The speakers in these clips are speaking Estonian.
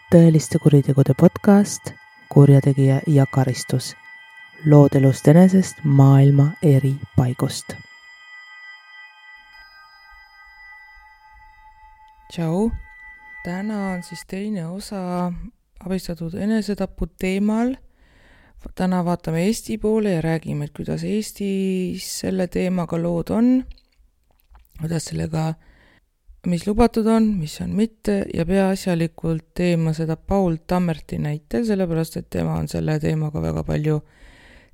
tõeliste kuritegude podcast Kurjategija ja karistus. Lood elust enesest maailma eri paigust. Tšau! Täna on siis teine osa abistatud enesetapu teemal. Täna vaatame Eesti poole ja räägime, et kuidas Eestis selle teemaga lood on, kuidas sellega, mis lubatud on, mis on mitte, ja peaasjalikult teema seda Paul Tammerti näitel, sellepärast, et tema on selle teemaga väga palju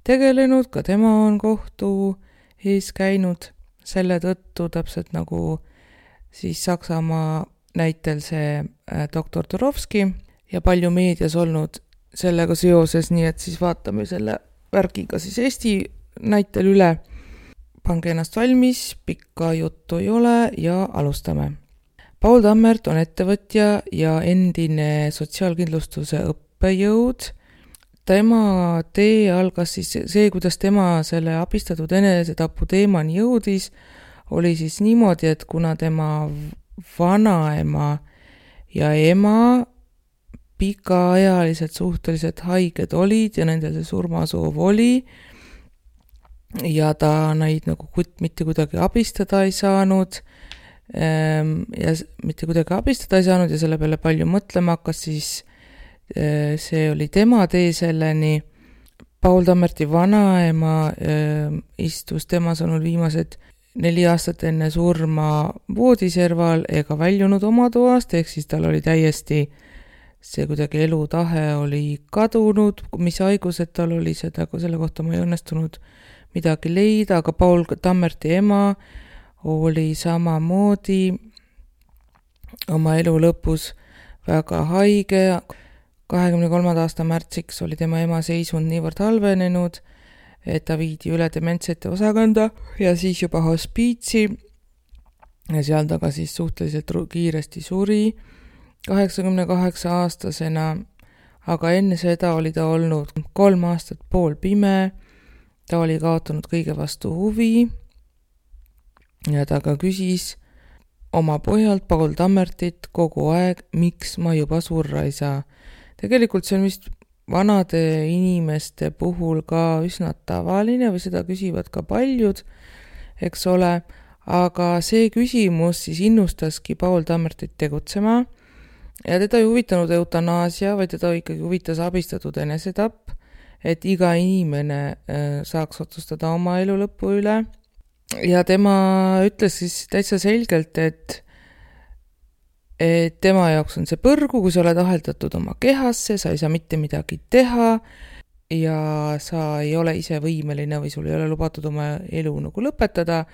tegelenud, ka tema on kohtu ees käinud selle tõttu, täpselt nagu siis Saksamaa näitel see doktor Turovski ja palju meedias olnud sellega seoses, nii et siis vaatame selle värgiga siis Eesti näitel üle. Pange ennast valmis, pikka juttu ei ole ja alustame. Paul Tammert on ettevõtja ja endine sotsiaalkindlustuse õppejõud. Tema tee algas siis see, kuidas tema selle abistatud enesetapu teemani jõudis, oli siis niimoodi, et kuna tema vanaema ja ema pikaajaliselt suhteliselt haiged olid ja nendel see surmasoov oli ja ta neid nagu mitte kuidagi abistada ei saanud ja selle peale palju mõtlema hakkas, siis see oli tema tee selleni. Paul Tammerti vanaema istus tema sõnul viimased 4 aastat enne surma voodiserval ega väljunud oma toast, ehk siis tal oli täiesti see kuidagi elutahe oli kadunud, mis haigused tal oli, selle kohta ma ei õnnestunud midagi leida, aga Paul Tammerti ema oli samamoodi oma elu lõpus väga haige. 23. aasta märtsiks oli tema ema seisund niivõrd halvenenud, et ta viidi üle dementsete osakanda ja siis juba hospiitsi ja seal ta ka siis suhteliselt kiiresti suri 88-aastasena, aga enne seda oli ta olnud 3 aastat poolpime, ta oli kaotanud kõige vastu huvi ja ta ka küsis oma pojalt Paul Tammertit kogu aeg, miks ma juba surra ei saa. Tegelikult see on vist vanade inimeste puhul ka üsna tavaline või seda küsivad ka paljud, eks ole, aga see küsimus siis innustaski Paul Tammertit tegutsema ja teda ei huvitanud eutanaasia, vaid teda ikkagi huvitas abistatud enesetapp, et iga inimene saaks otsustada oma elu lõpu üle. Ja tema ütles siis täitsa selgelt, et tema jaoks on see põrgu, kui sa oled aheldatud oma kehasse, sa ei saa mitte midagi teha ja sa ei ole ise võimeline või sul ei ole lubatud oma elu nagu lõpetada,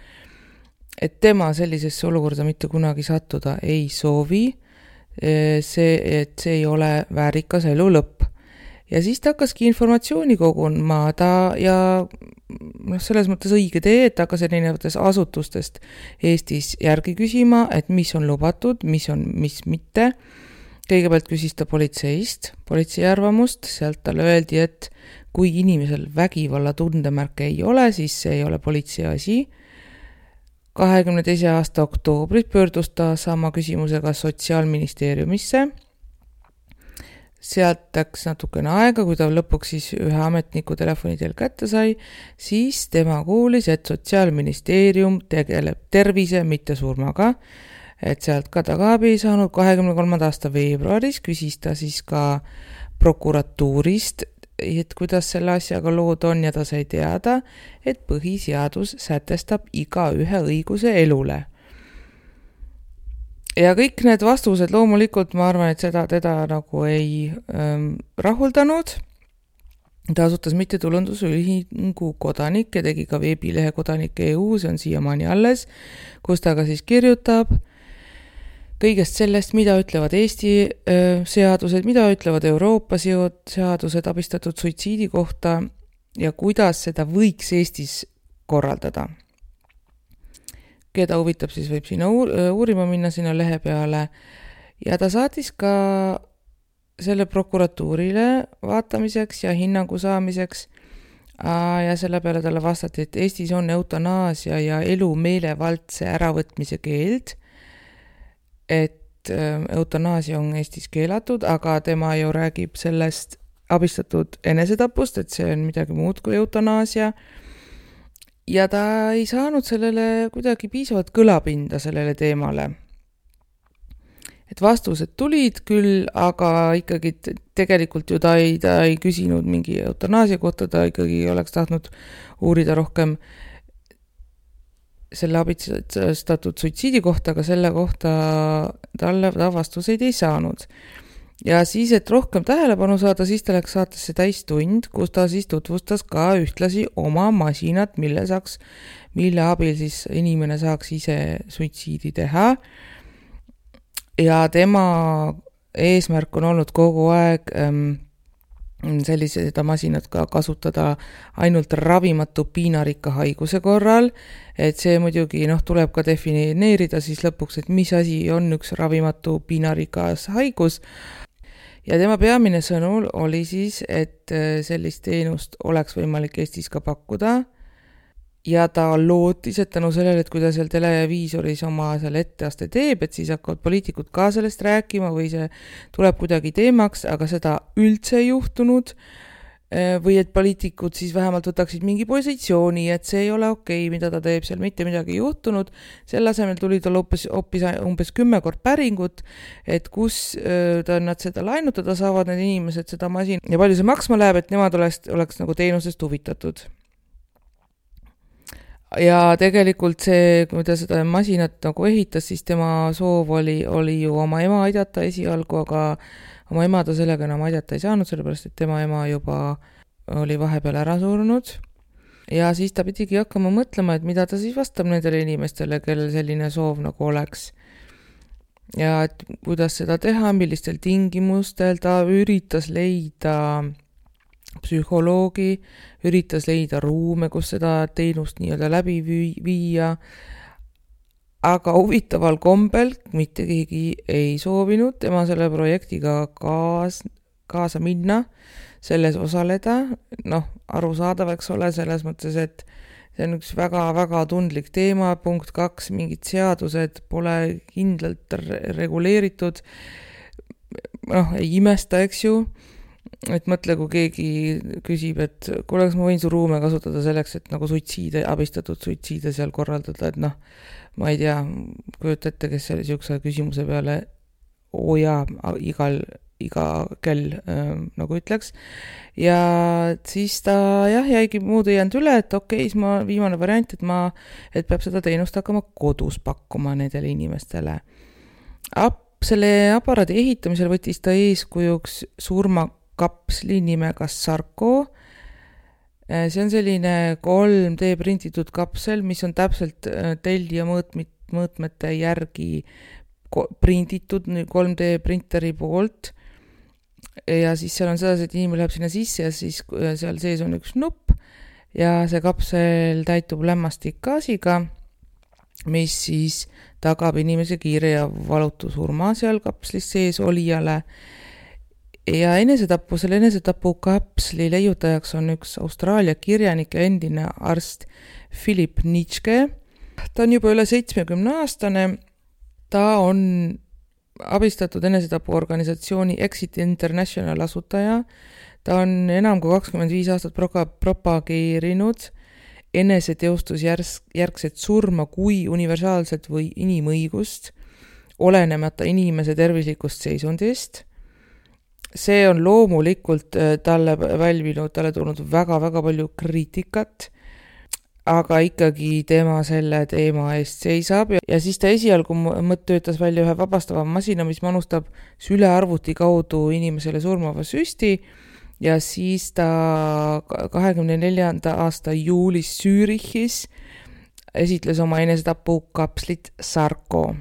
et tema sellisesse olukorda mitte kunagi sattuda ei soovi, et see ei ole väärikas elu lõpp. Ja siis ta hakkaski informatsiooni koguma ja selles mõttes õige tee, et hakkas erinevatest asutustest Eestis järgi küsima, et mis on lubatud, mis mitte. Kõigepealt küsis ta politsei arvamust, sealt talle öeldi, et kui inimesel vägivalla tundemärke ei ole, siis see ei ole politsei asi. 22. aasta oktoobris pöördus ta sama küsimusega Sotsiaalministeeriumisse. Sealt läks natukene aega, kui ta lõpuks siis ühe ametniku telefonidel kätte sai, siis tema kuulis, et Sotsiaalministeerium tegeleb tervise, mitte surmaga, et sealt ka tagabi ei saanud. 23. aasta veebruaris küsis ta siis ka prokuratuurist, et kuidas selle asjaga lood on ja ta sai teada, et põhiseadus sätestab igaühe õiguse elule. Ja kõik need vastused loomulikult, ma arvan, et seda teda nagu ei rahuldanud. Ta asutas mittetulundusühingu Kodanik ja tegi ka veebilehe Kodanik.eu, see on siiamaani alles, kus ta ka siis kirjutab kõigest sellest, mida ütlevad Eesti seadused, mida ütlevad Euroopa seadused abistatud suitsiidi kohta ja kuidas seda võiks Eestis korraldada. Keda huvitab, siis võib sinna uurima minna sinna lehe peale ja ta saatis ka selle prokuratuurile vaatamiseks ja hinnangu saamiseks ja selle peale talle vastati, et Eestis on eutanaasia ja elu meelevaldse äravõtmise keeld, et eutanaasia on Eestis keelatud, aga tema ju räägib sellest abistatud enesetapust, et see on midagi muud kui eutanaasia. Ja ta ei saanud sellele kuidagi piisavalt kõlapinda sellele teemale. Et vastused tulid küll, aga ikkagi tegelikult ju ta ei küsinud mingi eutanaasia kohta, ta ikkagi oleks tahtnud uurida rohkem selle abistatud suitsiidi kohta, aga selle kohta ta vastuseid ei saanud. Ja siis, et rohkem tähelepanu saada, siis ta läks saatesse täistund, kus ta siis tutvustas ka ühtlasi oma masinat, mille abil siis inimene saaks ise suitsiidi teha. Ja tema eesmärk on olnud kogu aeg seda masinat ka kasutada ainult ravimatu piinarikka haiguse korral, et see muidugi tuleb ka defineerida siis lõpuks, et mis asi on üks ravimatu piinarikas haigus. Ja tema peamine sõnul oli siis, et sellist teenust oleks võimalik Eestis ka pakkuda. Ja ta lootis, et tänu sellele, et kui ta seal televiisoris oma seal etteaste teeb, et siis hakkavad poliitikud ka sellest rääkima või see tuleb kuidagi teemaks, aga seda üldse ei juhtunud. Või et poliitikud siis vähemalt võtaksid mingi positsiooni, et see ei ole okei, mida ta teeb, seal mitte midagi ei juhtunud. Selle asemel tuli tal hoopis umbes 10 kord päringut, et kus nad seda lainutada saavad, need inimesed seda masin ja palju see maksma läheb, et nemad oleks nagu teenusest huvitatud. Ja tegelikult see, kui ta seda masinat nagu ehitas, siis tema soov oli ju oma ema aidata esialgu, aga oma ema ta sellega enam aidata ei saanud, sellepärast et tema ema juba oli vahepeal ära surnud. Ja siis ta pidigi hakkama mõtlema, et mida ta siis vastab nendele inimestele, kellel selline soov nagu oleks. Ja et kuidas seda teha, millistel tingimustel ta üritas leida psühholoogi, üritas leida ruume, kus seda teenust nii-öelda läbi viia, aga huvitaval kombel mitte keegi ei soovinud tema selle projektiga kaasa minna, selles osaleda, arusaadav, eks ole, selles mõttes, et see on üks väga-väga tundlik teema, punkt 2, mingid seadused pole kindlalt reguleeritud, ei imesta, eks ju, et mõtle, kui keegi küsib, et kuule, kas ma võin su ruume kasutada selleks, et nagu abistatud suitsiide seal korraldada, et ma ei tea, kujuta ette, kes selle siukse küsimuse peale iga kell nagu ütleks. Ja siis ta jäigi muud ei jäänud üle, et okei, siis viimane variant, et peab seda teenust hakkama kodus pakkuma nendele inimestele. Selle aparaadi ehitamisel võttis ta eeskujuks surmakapsli nimega Sarko. See on selline 3D printitud kapsel, mis on täpselt tellija mõõtmete järgi printitud 3D printeri poolt. Ja siis seal on sedasi, et inimene läheb sinna sisse ja siis seal sees on üks nupp ja see kapsel täitub lämmastikgaasiga, mis siis tagab inimese kiire ja valutu surma seal kapslis sees olijale. Ja selle enesetapu kapsli leiutajaks on üks Austraalia kirjanik ja endine arst Philip Nitschke. Ta on juba üle 70-aastane. Ta on abistatud enesetapu organisatsiooni Exit International asutaja. Ta on enam kui 25 aastat propageerinud eneseteostusjärgset surma kui universaalset või inimõigust, olenemata inimese tervislikust seisundist. See on loomulikult talle tulnud väga-väga palju kriitikat, aga ikkagi tema selle teema eest seisab ja siis ta esialgu töötas välja ühe vabastava masina, mis manustab sülearvuti kaudu inimesele surmava süsti ja siis ta 24. aasta juulis Zürichis esitles oma enesetapu kapslit Sarko.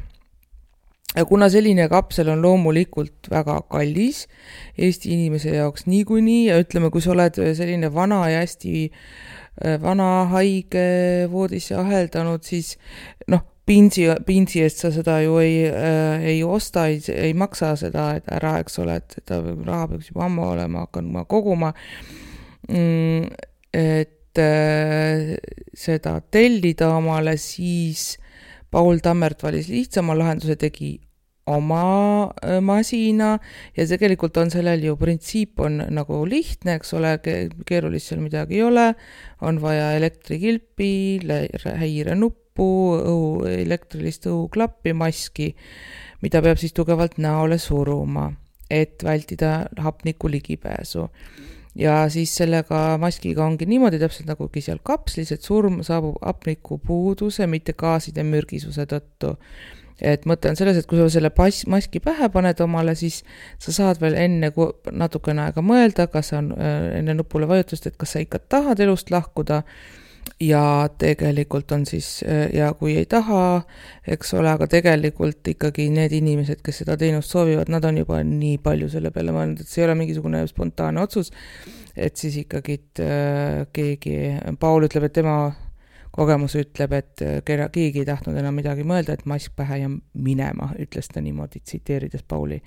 Ja kuna selline kapsel on loomulikult väga kallis Eesti inimese jaoks niikuinii ja ütleme, kui sa oled selline vana ja hästi vana haige voodisse aheldanud, siis pintsi eest sa seda ju ei osta, ei maksa seda ära, eks ole, et seda raha peaks juba ammu olema hakanud koguma, et seda tellida omale, siis Paul Tammert valis lihtsama lahenduse, tegi oma masina ja tegelikult on sellel ju printsiip on nagu lihtne, eks ole, keerulist seal midagi ei ole, on vaja elektrikilpi, häirenuppu, elektrilist õhuklappi, maski, mida peab siis tugevalt näole suruma, et vältida hapniku ligipääsu. Ja siis sellega maskiga ongi niimoodi täpselt nagugi seal kapslis, et surm saabub hapniku puuduse, mitte gaaside mürgisuse tõttu. Et mõte on selles, et kui sa selle maski pähe paned omale, siis sa saad veel enne natukene aega mõelda, kas on enne nupule vajutust, et kas sa ikka tahad elust lahkuda ja tegelikult on siis, ja kui ei taha, eks ole, aga tegelikult ikkagi need inimesed, kes seda teenust soovivad, nad on juba nii palju selle peale mõelnud, et see ei ole mingisugune spontaanne otsus, et siis ikkagi Paul ütleb, et tema kogemus ütleb, et keegi ei tahtnud enam midagi mõelda, et mask pähe ja minema, ütles ta niimoodi, tsiteerides Pauli.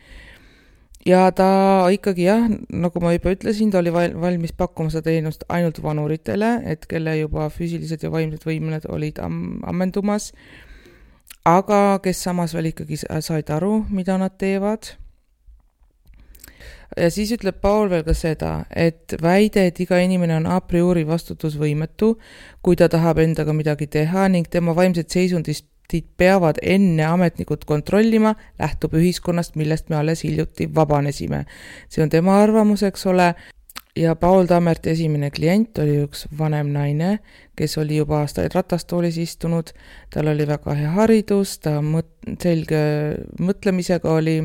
Ja ta ikkagi jah, nagu ma juba ütlesin, ta oli valmis pakkuma seda teenust ainult vanuritele, et kelle juba füüsilised ja vaimsed võimeled olid ammendumas, aga kes samas veel ikkagi said aru, mida nad teevad. Ja siis ütleb Paul veel ka seda, et väide, et iga inimene on a priori vastutusvõimetu, kui ta tahab endaga midagi teha ning tema vaimset seisundist peavad enne ametnikud kontrollima, lähtub ühiskonnast, millest me alles hiljuti vabanesime. See on tema arvamus, eks ole. Ja Paul Tammerti esimene klient oli üks vanem naine, kes oli juba aastaid ratastoolis istunud. Tal oli väga hea haridus, ta selge mõtlemisega oli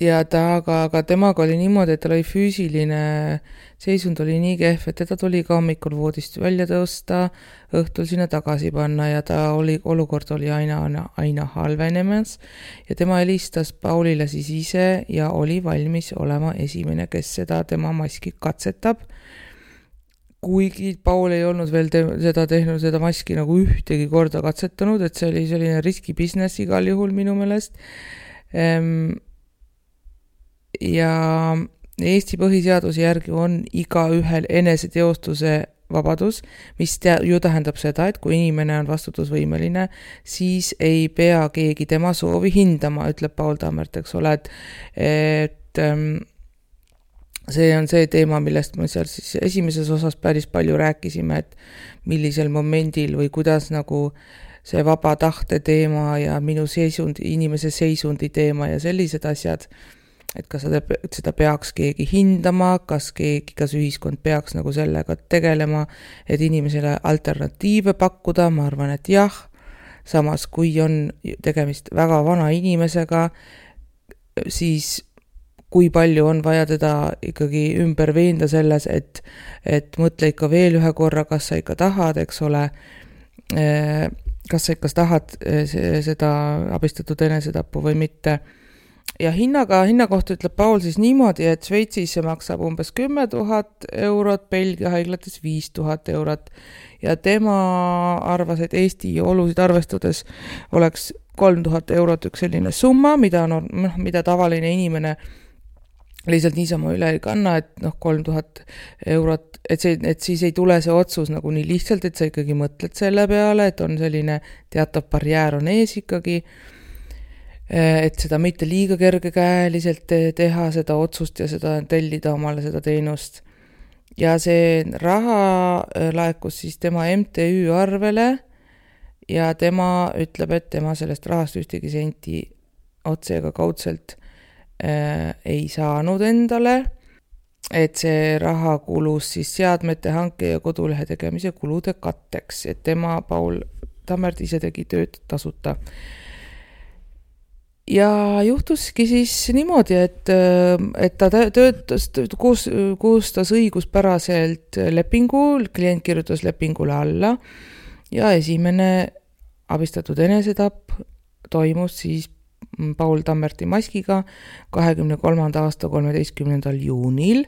ja aga temaga oli niimoodi, et tal oli füüsiline seisund oli nii kehv, et teda tuli ka hommikul voodist välja tõusta, õhtul sinna tagasi panna ja olukord oli aina halvenemas ja tema helistas Paulile siis ise ja oli valmis olema esimene, kes seda tema maski katsetab. Kuigi Paul ei olnud veel seda maski nagu ühtegi korda katsetanud, et see oli selline riski business igal juhul minu meelest. Ja Eesti põhiseaduse järgi on igaühel eneseteostuse vabadus, mis ju tähendab seda, et kui inimene on vastutusvõimeline, siis ei pea keegi tema soovi hindama, ütleb Paul Tammert, eks ole, et see on see teema, millest me seal siis esimeses osas päris palju rääkisime, et millisel momendil või kuidas nagu see vaba tahte teema ja minu inimese seisundi teema ja sellised asjad, et kas seda peaks keegi hindama, kas ühiskond peaks nagu sellega tegelema, et inimesele alternatiive pakkuda, ma arvan, et jah. Samas, kui on tegemist väga vana inimesega, siis kui palju on vaja teda ikkagi ümber veenda selles, et mõtle ikka veel ühe korra, kas sa ikka tahad, eks ole, kas sa ikka tahad seda abistatud enesetappu või mitte. Ja hinna kohta ütleb Paul siis niimoodi, et Šveitsis see maksab umbes 10 000 eurot, Belgia haiglates 5 000 eurot ja tema arvas, et Eesti olusid arvestades oleks 3000 eurot üks selline summa, mida tavaline inimene lihtsalt niisama üle ei kanna, et 3000 eurot, et siis ei tule see otsus nagu nii lihtsalt, et sa ikkagi mõtled selle peale, et on selline teatav barjäär on ees ikkagi, et seda mitte liiga kergekäeliselt teha, seda otsust ja seda tellida omale seda teenust. Ja see raha laekus siis tema MTÜ arvele ja tema ütleb, et tema sellest rahast ühtegi senti otse ega kaudselt ei saanud endale, et see raha kulus siis seadmete hanke ja kodulehe tegemise kulude katteks, et tema Paul Tammert ise tegi tööd tasuta. Ja juhtuski siis niimoodi, et ta töötas, koostas õiguspäraselt lepingul, klient kirjutas lepingule alla ja esimene abistatud enesetapp toimus siis Paul Tammerti maskiga 23. aasta 13. juunil.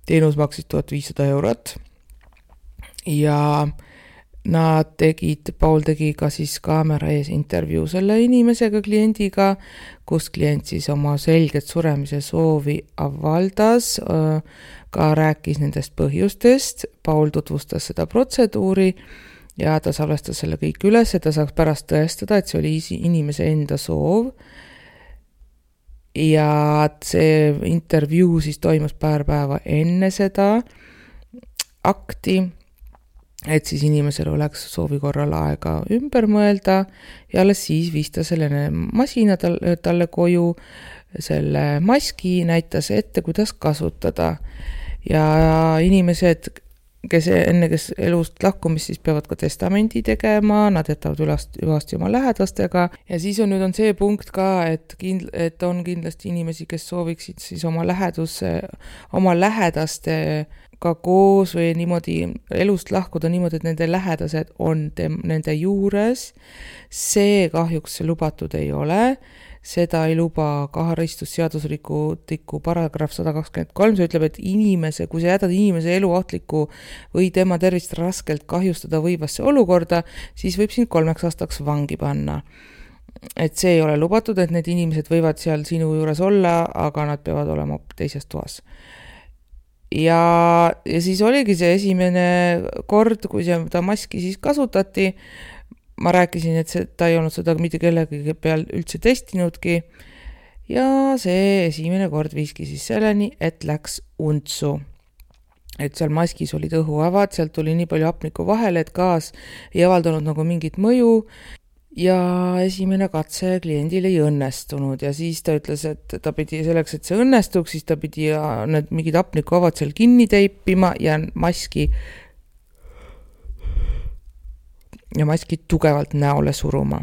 Teenus maksis 1500 eurot ja Paul tegi ka siis kaamera ees intervjuu selle inimesega, kliendiga, kus klient siis oma selget suremise soovi avaldas, ka rääkis nendest põhjustest. Paul tutvustas seda protseduuri ja ta salvestas selle kõik üles, et ta saaks pärast tõestada, et see oli inimese enda soov. Ja see intervjuu siis toimus paar päeva enne seda akti, et siis inimesel oleks soovi korral aega ümber mõelda ja alles siis viis ta selle masina talle koju, selle maski näitas ette, kuidas kasutada. Ja inimesed, kes elust lahkumist, siis peavad ka testamendi tegema, nad jätavad ülasti oma lähedastega ja siis nüüd on see punkt ka, et on kindlasti inimesi, kes sooviksid siis oma lähedastega koos või niimoodi elust lahkuda niimoodi, et nende lähedased on nende juures. See kahjuks lubatud ei ole. Seda ei luba karistusseadusliku paragrahv 123, see ütleb, et kui sa jätad inimese elu ohtliku või tema tervist raskelt kahjustada võivasse olukorda, siis võib sind 3 aastaks vangi panna. Et see ei ole lubatud, et need inimesed võivad seal sinu juures olla, aga nad peavad olema teises toas. Ja siis oligi see esimene kord, kui seda maski siis kasutati. Ma rääkisin, et ta ei olnud seda mitte kellegi peal üldse testinudki ja see esimene kord viiski siis selleni, et läks untsu. Et seal maskis olid õhuavad, sealt tuli nii palju hapnikku vahele, et gaas ei avaldanud nagu mingit mõju ja esimene katse kliendil ei õnnestunud ja siis ta ütles, et ta pidi selleks, et see õnnestuks, siis ta pidi need mingid hapnikuavad seal kinni teipima ja maski tugevalt näole suruma.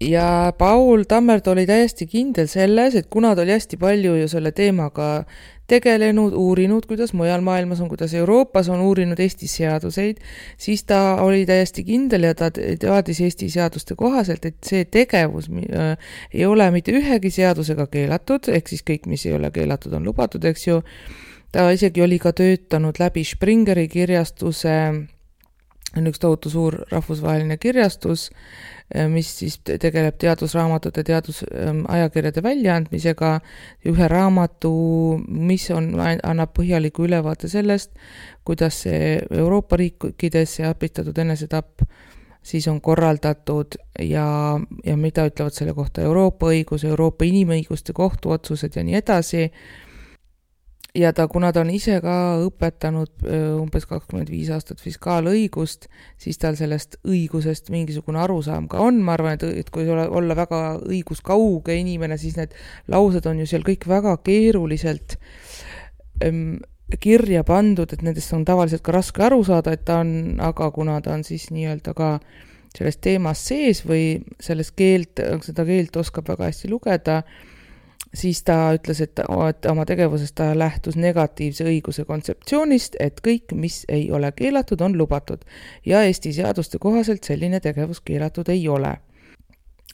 Ja Paul Tammert oli täiesti kindel selles, et kuna ta oli hästi palju ju selle teemaga tegelenud, uurinud, kuidas mujal maailmas on, kuidas Euroopas on uurinud Eesti seaduseid, siis ta oli täiesti kindel ja ta teadis Eesti seaduste kohaselt, et see tegevus ei ole mitte ühegi seadusega keelatud, ehk siis kõik, mis ei ole keelatud, on lubatud, eks ju. Ta isegi oli ka töötanud läbi Springeri kirjastuse, on üks tohutu suur rahvusvaheline kirjastus, mis siis tegeleb teadusraamatute, teadusajakirjade väljaandmisega, ühe raamatu, mis annab põhjaliku ülevaate sellest, kuidas see Euroopa riikides ja abistatud enesetapp siis on korraldatud ja mida ütlevad selle kohta Euroopa õigus, Euroopa inimõiguste kohtuotsused ja nii edasi. Ja kuna ta on ise ka õpetanud umbes 25 aastat fiskaalõigust, siis tal sellest õigusest mingisugune arusaam ka on. Ma arvan, et kui olla väga õiguskauge inimene, siis need laused on ju seal kõik väga keeruliselt kirja pandud, et nendest on tavaliselt ka raske aru saada, aga kuna ta on siis nii-öelda ka selles teemas sees või seda keelt oskab väga hästi lugeda, siis ta ütles, et oma tegevuses ta lähtus negatiivse õiguse kontseptsioonist, et kõik, mis ei ole keelatud, on lubatud ja Eesti seaduste kohaselt selline tegevus keelatud ei ole.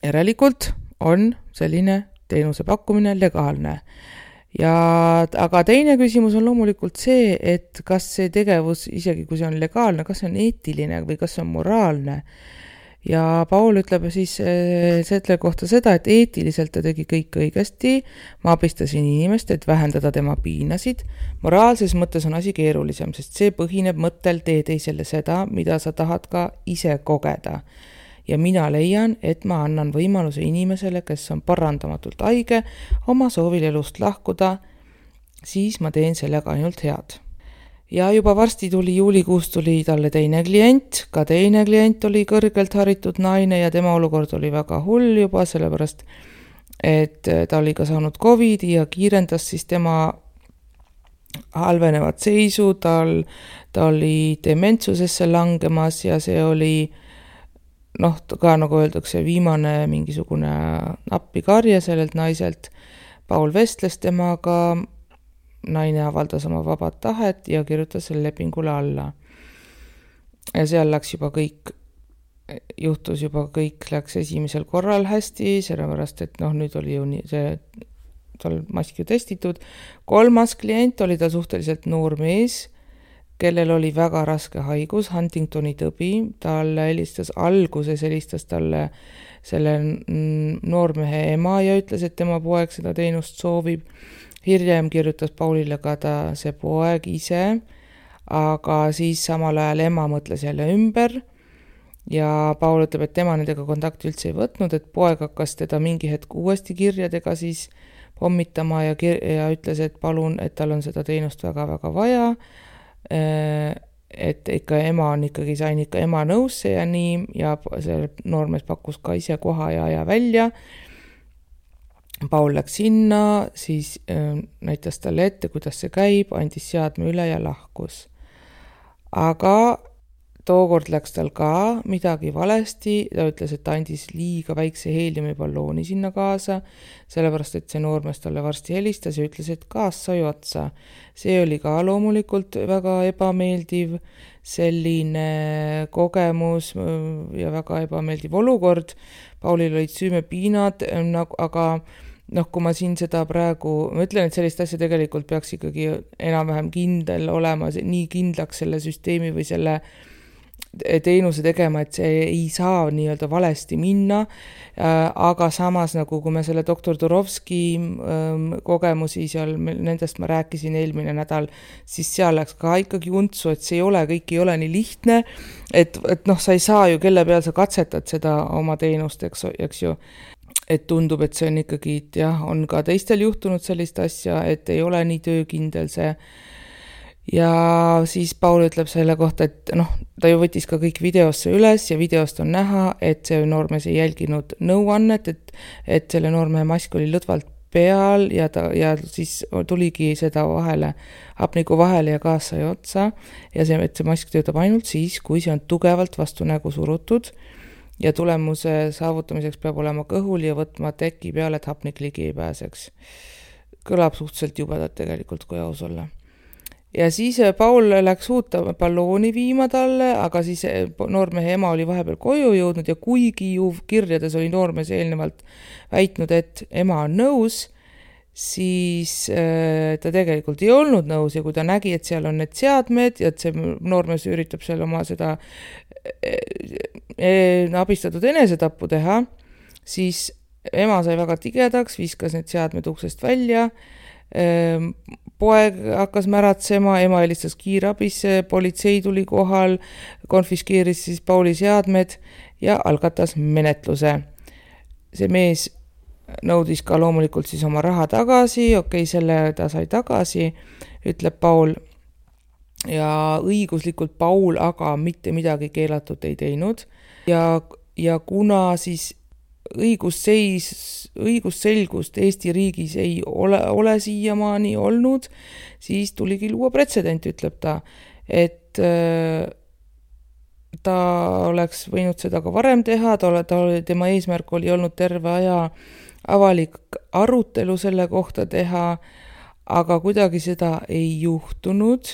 Järelikult on selline teenuse pakkumine legaalne. Aga teine küsimus on loomulikult see, et kas see tegevus, isegi kui see on legaalne, kas see on eetiline või kas see on moraalne. Ja Paul ütleb siis selle kohta seda, et eetiliselt ta tegi kõik õigesti, ma abistasin inimest, et vähendada tema piinasid. Moraalses mõttes on asi keerulisem, sest see põhineb mõttel tee teisele seda, mida sa tahad ka ise kogeda. Ja mina leian, et ma annan võimaluse inimesele, kes on parandamatult haige, oma soovil elust lahkuda, siis ma teen sellega ainult head. Ja juba varsti juulikuus tuli talle teine klient, ka teine klient oli kõrgelt haritud naine ja tema olukord oli väga hull juba, sellepärast, et ta oli ka saanud COVID ja kiirendas siis tema halvenevat seisu, ta oli dementsusesse langemas ja see oli ka nagu öeldakse, viimane mingisugune appikarje sellelt naiselt. Paul vestles temaga, naine avaldas oma vabad tahet ja kirjutas selle lepingule alla. Ja seal läks läks esimesel korral hästi, sellepärast, et nüüd oli ju tal maski testitud. 3. klient oli ta suhteliselt noor mees, kellel oli väga raske haigus, Huntingtoni tõbi. Alguses helistas talle selle noormehe ema ja ütles, et tema poeg seda teenust soovib. Hiljem kirjutas Paulile ka see poeg ise, aga siis samal ajal ema mõtles jälle ümber ja Paul ütleb, et tema nendega kontakti üldse ei võtnud, et poeg hakkas teda mingi hetk uuesti kirjadega siis pommitama ja ütles, et palun, et tal on seda teenust väga-väga vaja, et ikka sain ikka ema nõusse ja nii, ja see noormees pakkus ka ise koha ja aja välja. Paul läks sinna, siis näitas talle ette, kuidas see käib, andis seadme üle ja lahkus. Aga tookord läks tal ka midagi valesti, ta ütles, et ta andis liiga väikse heeliumiballooni sinna kaasa, sellepärast, et see noormees talle varsti helistas ja ütles, et gaas sai otsa. See oli ka loomulikult väga ebameeldiv selline kogemus ja väga ebameeldiv olukord. Paulil olid süümepiinad, aga kui ma siin seda praegu, ma ütlen, et sellist asja tegelikult peaks ikkagi enam-vähem kindel olema, nii kindlaks selle süsteemi või selle teenuse tegema, et see ei saa nii-öelda valesti minna, aga samas nagu kui me selle doktor Turovski kogemusi seal, nendest ma rääkisin eelmine nädal, siis seal läks ka ikkagi untsu, et see kõik ei ole nii lihtne, et sa ei saa ju, kelle peal sa katsetad seda oma teenust, eks ju, et tundub, et see on ikkagi, on ka teistel juhtunud sellist asja, et ei ole nii töökindel see. Ja siis Paul ütleb selle kohta, et ta ju võttis ka kõik videosse üles ja videost on näha, et see noormees ei jälginud nõuannet, et selle noormehe mask oli lõdvalt peal ja siis tuligi seda hapniku vahele ja gaas sai otsa ja et see mask töötab ainult siis, kui see on tugevalt vastu nägu surutud ja tulemuse saavutamiseks peab olema kõhul ja võtma teki peale, et hapnik ligi ei pääseks. Kõlab suhteliselt jubedalt tegelikult, kui aus olla. Ja siis Paul läks uut ballooni viima talle, aga siis noormehe ema oli vahepeal koju jõudnud ja kuigi ju kirjades oli noormees eelnevalt väitnud, et ema on nõus, siis ta tegelikult ei olnud nõus ja kui ta nägi, et seal on need seadmed ja et see noormees üritab seal oma seda abistatud enesetappu teha, siis ema sai väga tigedaks, viskas need seadmed uksest välja, poeg hakkas märatsema, ema helistas kiirabisse, politsei tuli kohal, konfiskeeris siis Pauli seadmed ja algatas menetluse. See mees nõudis ka loomulikult siis oma raha tagasi, selle ta sai tagasi, ütleb Paul. Ja õiguslikult Paul aga mitte midagi keelatud ei teinud ja kuna siis õigusselgust Eesti riigis ei ole siiamaani olnud, siis tuligi luua pretsedent, ütleb ta, et ta oleks võinud seda ka varem teha, tema eesmärk oli olnud terve aja avalik arutelu selle kohta teha, aga kuidagi seda ei juhtunud,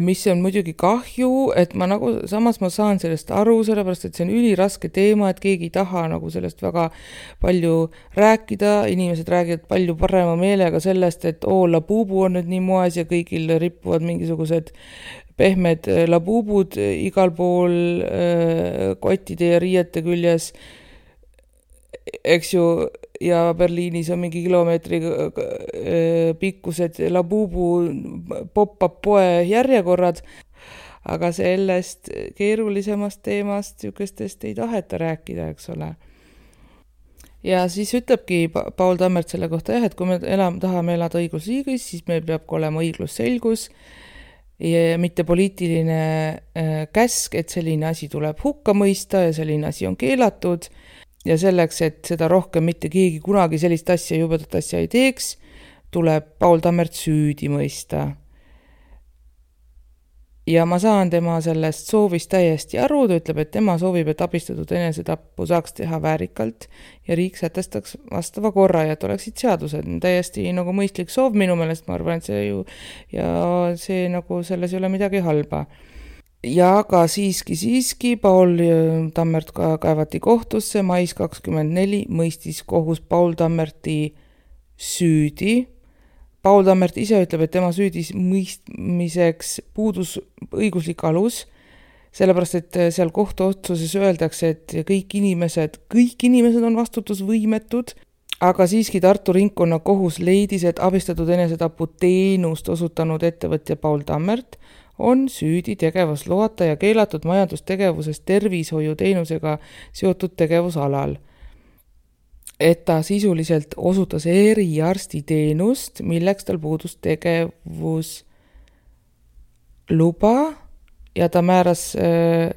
mis on muidugi kahju, et samas ma saan sellest aru, sellepärast, et see on üliraske teema, et keegi ei taha sellest väga palju rääkida, inimesed räägivad palju parema meelega sellest, et labubu on nüüd nii moes ja kõigil rippuvad mingisugused pehmed labubud igal pool kottide ja riiete küljes, eks ju, ja Berliinis on mingi kilomeetri pikkused labubu pop-up poe järjekorrad, aga sellest keerulisemast teemast sükestest ei taheta rääkida, eks ole. Ja siis ütlebki Paul Tammert selle kohta, et kui me tahame elada õigusriigis, siis meil peab olema õiglusselgus ja mitte poliitiline käsk, et selline asi tuleb hukka mõista ja selline asi on keelatud. Ja selleks, et seda rohkem mitte keegi kunagi sellist asja, jubedat asja ei teeks, tuleb Paul Tammert süüdi mõista. Ja ma saan tema sellest soovist täiesti aru, ta ütleb, et tema soovib, et abistatud enesetappu saaks teha väärikalt ja riik sätestaks vastava korra ja et oleksid seadused. Täiesti nagu mõistlik soov minu meelest, ma arvan, et see ju, ja see nagu selles ei ole midagi halba. Ja ka siiski Paul Tammert kaevati kohtusse, mais 24 mõistis kohus Paul Tammerti süüdi. Paul Tammert ise ütleb, et tema süüdis mõistmiseks puudus õiguslik alus, sellepärast, et seal kohtuotsuses öeldakse, et kõik inimesed on vastutusvõimetud, aga siiski Tartu ringkonnakohus leidis, et abistatud enesetapu teenust osutanud ettevõtja Paul Tammert on süüdi tegevusloata ja keelatud majandustegevusest tervishoiuteenusega seotud tegevusalal. Et ta sisuliselt osutas eriarstiteenust, milleks tal puudus tegevusluba ja ta määras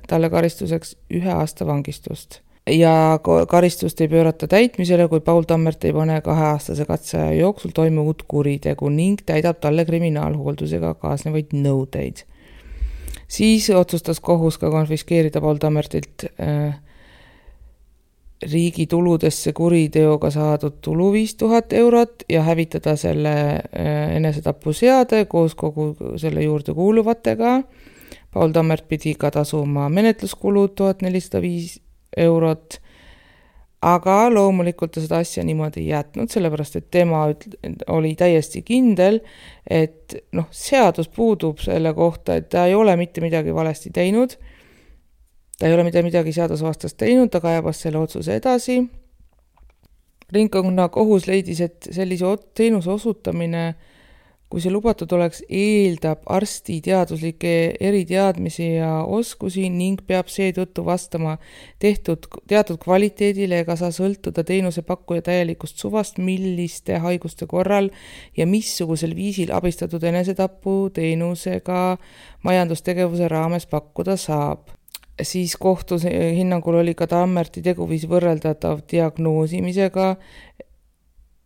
talle karistuseks 1 aasta vangistust. Ja karistust ei pöörata täitmisele, kui Paul Tammert ei pane 2-aastase katseaja jooksul toime uut kuritegu ning täidab talle kriminaalhooldusega kaasnevaid nõudeid. Siis otsustas kohus ka konfiskeerida Paul Tammertilt riigi tuludesse kuriteoga saadud tulu 5000 eurot ja hävitada selle enesetapuseade koos kogu selle juurde kuuluvatega. Paul Tammert pidi ka tasuma menetluskulud 1405 eurot, aga loomulikult ta seda asja niimoodi ei jätnud, sellepärast et tema oli täiesti kindel, et seadus puudub selle kohta, et ta ei ole mitte midagi valesti teinud, ta ei ole midagi seadusvastast teinud, ta kaebas selle otsuse edasi. Ringkonnakohus leidis, et sellise teenuse osutamine, kui see lubatud oleks, eeldab arsti teaduslikke eriteadmisi ja oskusi ning peab seetõttu vastama teatud kvaliteedile ega saa sõltuda teenusepakkuja täielikust suvast, milliste haiguste korral ja missugusel viisil abistatud enesetapu teenusega majandustegevuse raames pakkuda saab. Siis kohtu hinnangul oli ka Tammerti teguviis võrreldatav diagnoosimisega,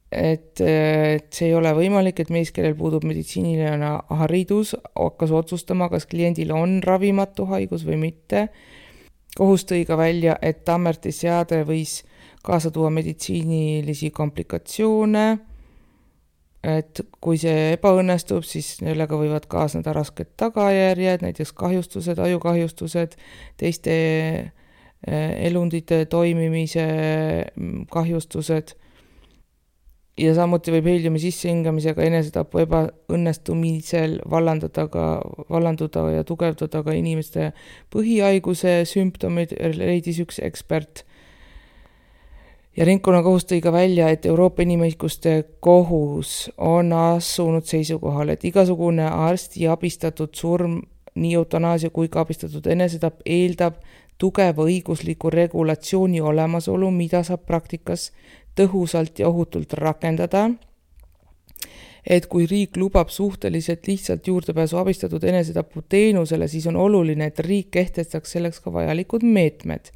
et see ei ole võimalik, et mees, kellel puudub meditsiiniline haridus, hakkas otsustama, kas kliendil on ravimatu haigus või mitte. Kohus tõi ka välja, et Tammerti seade võis kaasa tuua meditsiinilisi komplikatsioone, et kui see ebaõnnestub, siis sellega võivad kaasneda rasked tagajärjed, näiteks kahjustused, ajukahjustused, teiste elundite toimimise kahjustused. Ja samuti võib heeliumi sissehingamisega enesetapu ebaõnnestumisel vallanduda ja tugevdada ka inimeste põhihaiguse sümptomid, leidis üks ekspert. Ja ringkonnakohus tõi ka välja, et Euroopa Inimõiguste Kohus on asunud seisukohal, et igasugune arsti abistatud surm, nii eutanaasia kui ka abistatud enesetapp eeldab tugeva õigusliku regulatsiooni olemasolu, mida saab praktikas tõhusalt ja ohutult rakendada, et kui riik lubab suhteliselt lihtsalt juurdepääsu abistatud enesetapu teenusele, siis on oluline, et riik kehtestaks selleks ka vajalikud meetmed.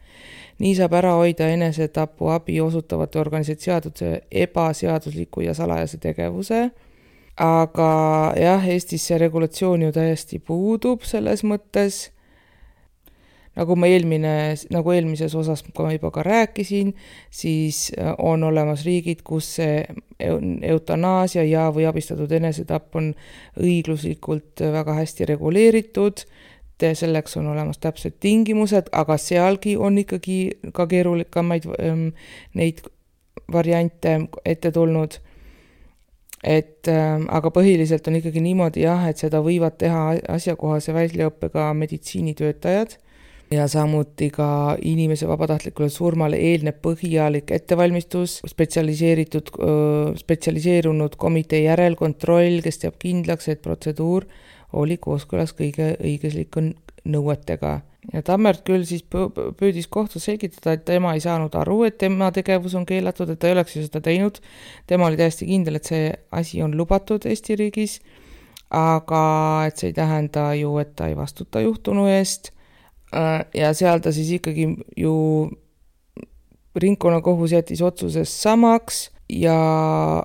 Nii saab ära hoida enesetapu abi osutavate organisatsioonide ebaseadusliku ja salajase tegevuse, aga jah, Eestis see regulatsioon ju täiesti puudub selles mõttes. Nagu eelmises osas ma juba ka rääkisin, siis on olemas riigid, kus see eutanaasia ja või abistatud enesetapp on õigluslikult väga hästi reguleeritud, selleks on olemas täpsed tingimused, aga sealgi on ikkagi ka keerulikamaid neid variante ette tulnud. Aga põhiliselt on ikkagi niimoodi et seda võivad teha asjakohase väljaõppega meditsiinitöötajad ja samuti ka inimese vabatahtlikule surmale eelneb põhjalik ettevalmistus, spetsialiseerunud komitee järelkontroll, kes teab kindlaks, et protseduur oli kooskõlas kõige õiguslike nõuetega. Ja Tammert küll siis püüdis kohtus selgitada, et tema ei saanud aru, et tema tegevus on keelatud, et ta ei oleks ju seda teinud. Tema oli täiesti kindel, et see asi on lubatud Eesti riigis, aga et see ei tähenda ju, et ta ei vastuta juhtunu eest. Ja seal ta siis ikkagi ju ringkonnakohus jättis otsuses samaks ja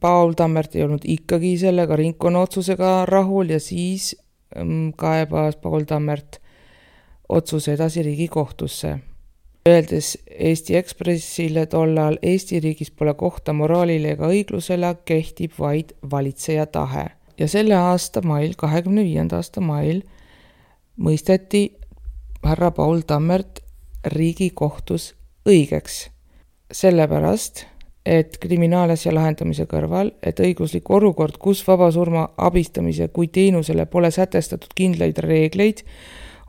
Paul Tammert ei olnud ikkagi sellega ringkonna otsusega rahul ja siis kaebas Paul Tammert otsuse edasi Riigikohtusse. Öeldes Eesti Ekspressile tollal, Eesti riigis pole kohta moraalile ega õiglusele, kehtib vaid valitseja tahe. Ja selle aasta mail, 25. aasta mail, mõisteti härra Paul Tammert Riigikohtus õigeks. Sellepärast, et kriminaalasja lahendamise kõrval, et õiguslik olukord, kus vabasurma abistamise kui teenusele pole sätestatud kindlaid reegleid,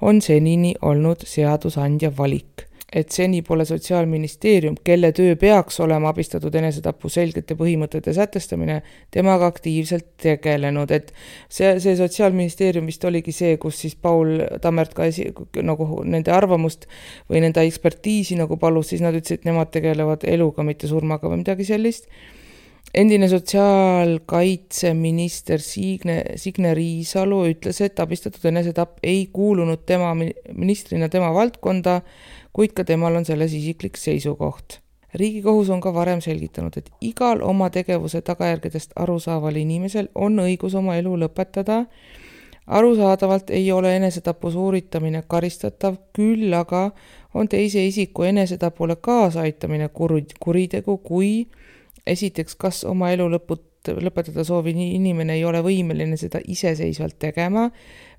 on senini olnud seadusandja valik. et seni pole Sotsiaalministeerium, kelle töö peaks olema abistatud enesetapu selgete põhimõtete sätestamine, temaga aktiivselt tegelenud, et see Sotsiaalministeerium vist oligi see, kus siis Paul Tammert ka nagu nende arvamust või nende ekspertiisi nagu palus, siis nad ütlesid, et nemad tegelevad eluga, mitte surmaga või midagi sellist. Endine sotsiaalkaitseminister Signe Riisalu ütles, et abistatud enesetapp ei kuulunud tema ministrina tema valdkonda, kuid ka temal on selles isiklik seisukoht. Riigikohus on ka varem selgitanud, et igal oma tegevuse tagajärgedest arusaaval inimesel on õigus oma elu lõpetada. Arusaadavalt ei ole enesetapu suuritamine karistatav, küll aga on teise isiku enesetapule kaasaitamine kuritegu, kui esiteks, kas oma elu lõpetada soovi inimene ei ole võimeline seda iseseisvalt tegema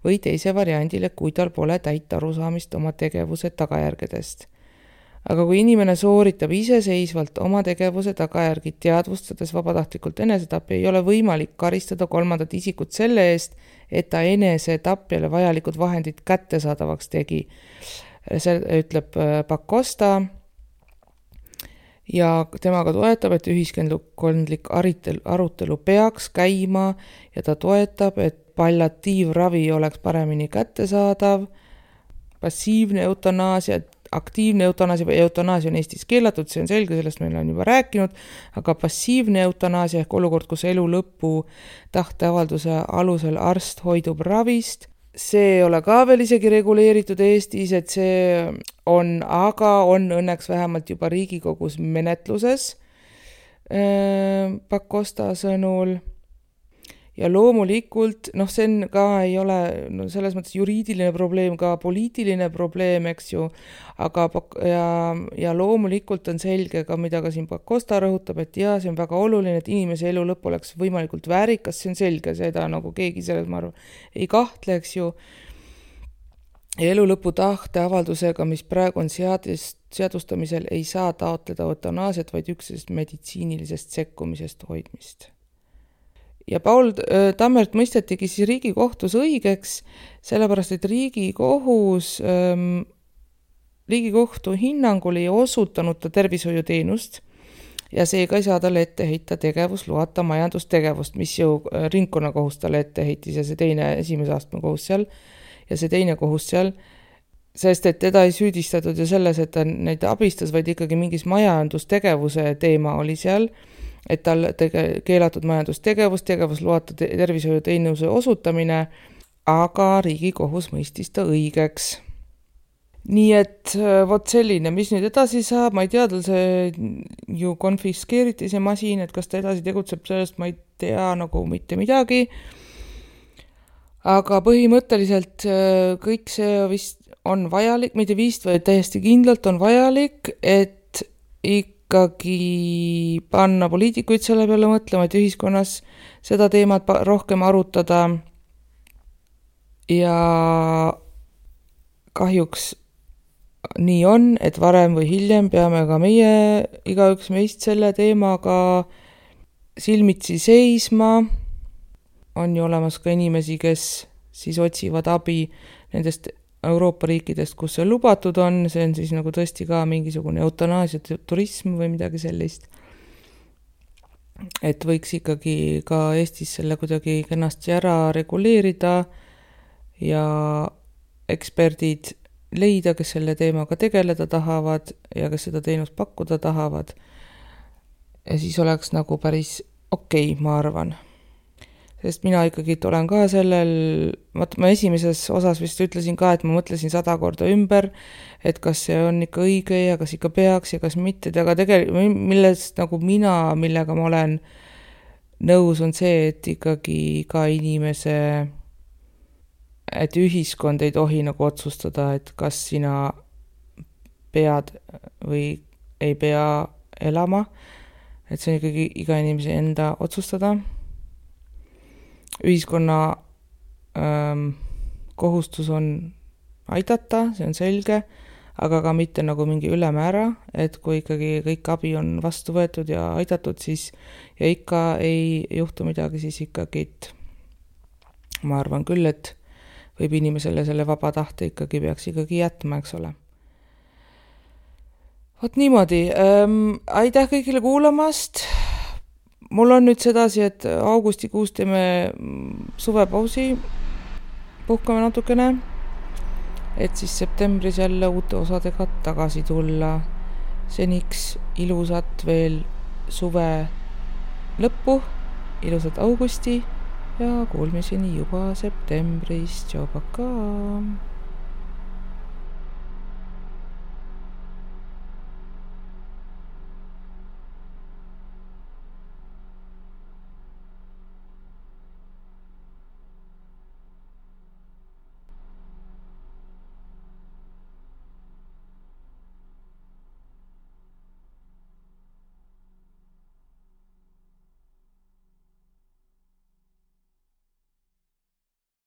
või teise variandile, kui tal pole täit arusaamist oma tegevuse tagajärgedest. Aga kui inimene sooritab iseseisvalt oma tegevuse tagajärgi teadvustades vabatahtlikult enesetapp, ei ole võimalik karistada kolmandat isikut selle eest, et ta enesetapjale vajalikud vahendid kättesaadavaks tegi. See ütleb Pakosta. Ja temaga toetab, et ühiskondlik arutelu peaks käima ja ta toetab, et palliatiivravi oleks paremini kättesaadav, passiivne eutanaasia, aktiivne eutanaasia või eutanaasia on Eestis keelatud, see on selge, sellest meil on juba rääkinud, aga passiivne eutanaasia ehk olukord, kus elu lõpu tahteavalduse alusel arst hoidub ravist, see ei ole ka veel isegi reguleeritud Eestis, et see aga on õnneks vähemalt juba Riigikogus menetluses Pakosta sõnul. Ja loomulikult, see on ka ei ole selles mõttes juriidiline probleem, ka poliitiline probleem, eks ju, aga ja loomulikult on selge ka, mida ka siin Pakosta rõhutab, et see on väga oluline, et inimese elu lõpp oleks võimalikult väärikas, see on selge, seda nagu keegi selles, ma arvan, ei kahtle, eks ju. Elu lõpu tahteavaldusega, mis praegu on seadustamisel, ei saa taotleda eutanaasiat, vaid üksnes meditsiinilisest sekkumisest hoidmist. Ja Paul Tammert mõistetigi siis Riigikohtus õigeks, sellepärast, et Riigikohtu hinnangul ei osutanud ta tervishoiuteenust ja seega ei saa talle ette heita tegevusloata majandustegevust, mis ju ringkonnakohus talle ette heitis ja see esimese astme kohus seal ja see teine kohus seal, sest et teda ei süüdistatud ju selles, et ta neid abistas, vaid ikkagi mingis majandustegevuse teema oli seal, et tal keelatud majandustegevus, tegevusloata tervishoiuteenuse osutamine, aga Riigikohus mõistis ta õigeks. Nii et vot selline, mis nüüd edasi saab, ma ei tea, tal see ju konfiskeeriti see masin, et kas ta edasi tegutseb sellest, ma ei tea nagu mitte midagi. Aga põhimõtteliselt kõik see vist on vajalik, mitte vist, vaid täiesti kindlalt on vajalik, et ikkagi panna poliitikuid selle peale mõtlema, et ühiskonnas seda teemat rohkem arutada ja kahjuks nii on, et varem või hiljem peame ka meie, igaüks meist selle teemaga silmitsi seisma. On ju olemas ka inimesi, kes siis otsivad abi nendest Euroopa riikidest, kus see lubatud on, see on siis nagu tõesti ka mingisugune eutanaasia turism või midagi sellist. Et võiks ikkagi ka Eestis selle kuidagi kenasti ära reguleerida ja eksperdid leida, kes selle teemaga tegeleda tahavad ja kes seda teenust pakkuda tahavad. Ja siis oleks nagu päris okei, ma arvan. Sest mina ikkagi olen ka sellel, ma esimeses osas vist ütlesin ka, et ma mõtlesin 100 korda ümber, et kas see on ikka õige ja kas ikka peaks ja kas mitte, aga tegelikult millest nagu millega ma olen nõus, on see, et ikkagi ka inimese, et ühiskond ei tohi nagu otsustada, et kas sina pead või ei pea elama, et see on ikkagi iga inimese enda otsustada. Ühiskonna kohustus on aidata, see on selge, aga ka mitte nagu mingi ülemäära, et kui ikkagi kõik abi on vastu võetud ja aidatud, siis ja ikka ei juhtu midagi, siis ikkagi, ma arvan küll, et võib inimesele selle vaba tahte ikkagi peaks ikkagi jätma, eks ole. Vot niimoodi, aitäh kõigile kuulamast. Mul on nüüd sedasi, et augustikuus teeme suvepausi, puhkame natukene, et siis septembris jälle uute osadega tagasi tulla. Seniks ilusat veel suve lõppu, ilusat augusti ja kuulmiseni juba septembris. Tšau, pakaa!